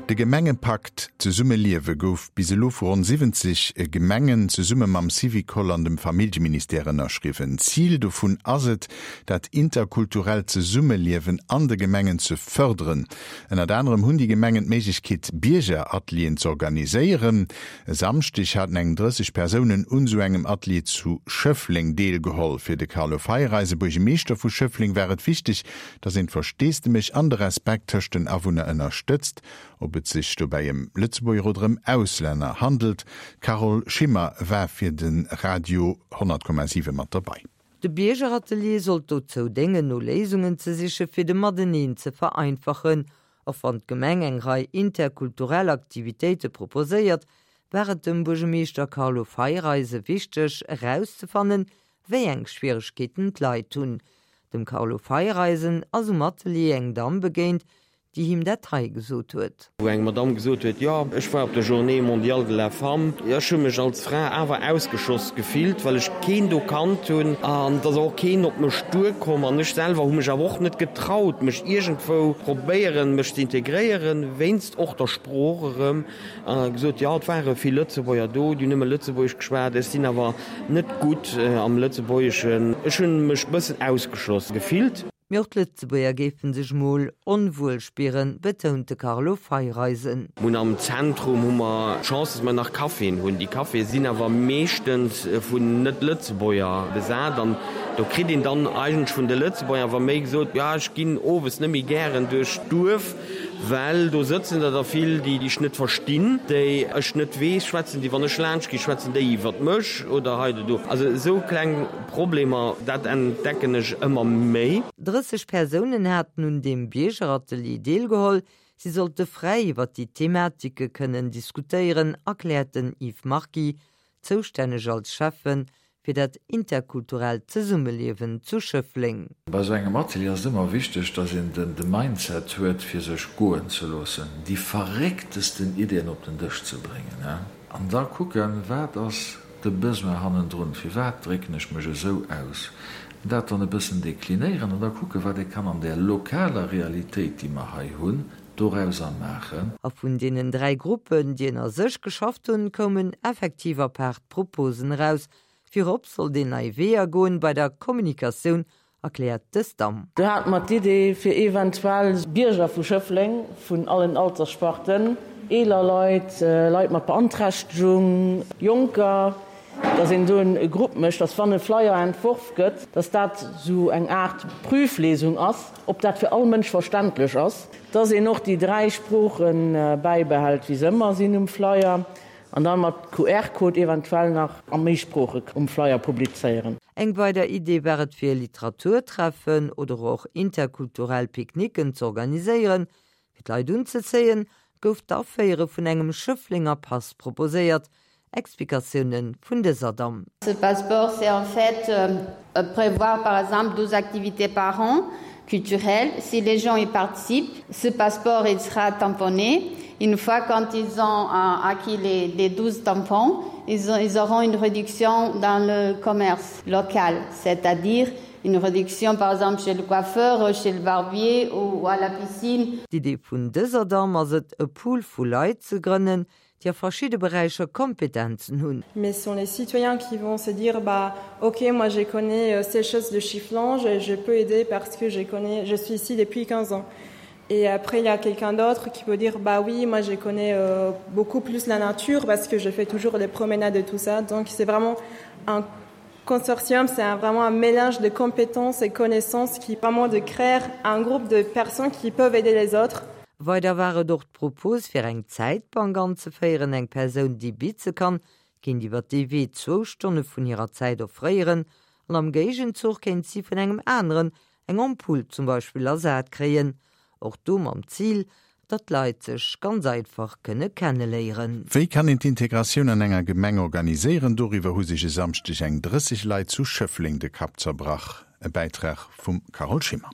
De Gemengepakt Zesumme liewe gouf bis elo vu ronn 70 Gemengen zesumme mam Syvicol an dem Familljeministère ënnerschriwwen. Zil dovun ass et, dat interkulturellt Zesummeliewen an de Gemengen ze fërderen. Ënnert anerem hunn déi Gemengen d'Méiglechkeet, Biergeratelieren z'organiséieren. E Samschdeg haten eng 30 Persounen un esou engem Atelier zu Schëffleng deelgeholl. Fir de Carlo Feiereisen, Buergemeeschter vu Schëffleng, war et wichteg, datt een d'Versteesdemech an de Respekt tëscht den Awunner ënnerstëtzt, ob et sech dobäi ëm Lëtzebuerger oder ëm Auslänner handelt. D'Carole Schimmer war fir de Radio 100,7 mat derbei. De Biergeratelier sollt dozou déngen, no Léisungen ze siche fir de Mateneen ze vereinfachen. Och wann d'Gemeng eng Rei interkulturell Aktivitéite proposéiert, war et dem Buergemeeschter Carlo Feiereisen wichteg erauszefannen, wéi eng Schwieregkeeten d'Leit hunn. Dem Carlo Feiereisen ass um Atelier eng Damm begéint, déi him dat hei gesot huet. Wou eng Madamm gesot huet, Jo, ech war op der Journée mondiale de la femme, ech hu mech als Fra awer ausgeschloss gefillt, well ech keen do kannt hunn an et ass och keen op mech duerkomm an ech selwer hu mech awer och net getraut, mech iergendwou probéieren, mech ze integréieren, wéinst och der Sprooch erëm. A gesot, jo, et ware vill Lëtzebuerger do, déi hunn nëmme Lëtzebuergesch geschwat, ech sinn awer net gutt am Lëtzebuergeschen, ech hunn mech bëssen ausgeschloss gefillt. Mee och d'Lëtzebuerger géife sech mol onwuel spieren, betount de Carlo Feiereisen. Mir hunn am Zentrum hu mer d'Chance, dass mer nach Caféen hunn. Déi Caféë sinn awer meeschtens vun Net-Lëtzebuerger besat an do kritt een dann eigentlech vun de Lëtzebuerger awer méi gesot, jo ech ginn owes net méi gären duerch d'Duerf, Well do sëtzen der der vill, déi ech net verstinn, déi ech net weess, schwätzen déi, wann ech laanscht ginn, schwätzen déi iwwert mech oder hei oder do. Also esou kleng Problemer, dat entdecken ech ëmmer méi. 30 Persounen haten un deem Biergeratelier deelgeholl. Si sollte fräi iwwer déi Thematike kënnen diskutéieren, erkläert den Yves Marquis, zoustänneg als Schäffe fir dat interkulturellt Zesummeliewen zu Schëffleng. Bei esou engem Atelier ass et ëmmer wichteg, dass een de Mindset huet, fir sech goen ze loossen, déi verrécktesten Ideeën op den Dësch ze bréngen an da kucken, wat ass de Besoin hannendrun, firwat drécken ech mech esou aus, an dat dann e bëssen deklinéieren an da kucken, wat ee kann an där lokaler Realitéit, déi mer hei hunn, dorauser maachen. A vun deenen 3 Gruppen, déi ënner sech geschafft hunn, koumen effektiv apaart Proposen eraus. Virop sollt een nei Weeër goen bei der Kommunikatioun, erkläert dës Damm. Do hate mer d'Idee fir eventuell Bierger vu Schëffleng vun allen Alterssparten, eeler Leit, Leit mat Beanträchtegung, Jonker, dass een do e Grupp mécht, dass wann e Flyer entworf gëtt, dass dat esou eng Aart Prüflesung ass, ob dat fir all Mënsch verständlech ass, dass een och déi 3 Sprooche bäibehält, wéi se ëmmer sinn um Flyer, an da mat QR-Code eventuell nach a méi Sprooche um Flyer publizéieren. Eng weider Idee war et fir Literaturtreffen oder och interkulturell Picknicken z'organiséieren. Fir d'Leit unzezéien, gouf d'Aféiere vun engem Schëfflenger Pass proposéiert. Explikatioune vun dëser Damm. Ce passeport c'est en fait prévoir par exemple 12 activités par an culturelles si les gens y participent ce passeport il sera tamponné une fois quand ils ont acquis les, les 12 tampons ils, ont, ils auront une réduction dans le commerce local c'est-à-dire une réduction par exemple chez le coiffeur chez le barbier ou à la piscine. D'Idee vun dëser Damm ass et, e Pool vu Leit ze grënnen, déi a verschidde Beräicher Kompetenzen hunn. Mais ce sont les citoyens qui vont se dire bah ok moi je connais ces choses de Schifflange et je peux aider parce que je connais je suis ici depuis 15 ans. Et après il y a quelqu'un d'autre qui peut dire bah oui moi je connais euh, beaucoup plus la nature parce que je fais toujours des promenades et tout ça. Donc c'est vraiment un consortium, c'est vraiment un mélange de compétences et connaissances qui permet de créer un groupe de personnes qui peuvent aider les autres. Weider war et och d'Propos fir eng Zäitbank anzeféieren, eng Persoun déi bitze kann, kéint iwwer dee Wee zwou Stonne vun hirer Zäit offréieren an am Géigenzuch kéint si vun engem aneren eng Ampull zum Beispill ersat kréien. Och do mam Zil, datt d'Leit sech ganz einfach kënne kenneléieren. Wéi kann een d'Integratioun an enger Gemeng organiséieren? Doriwwer hu sech e Samschdeg eng 30 Leit zu Schëffleng de Kapp zerbrach. E Bäitrag vum Carole Schimmer.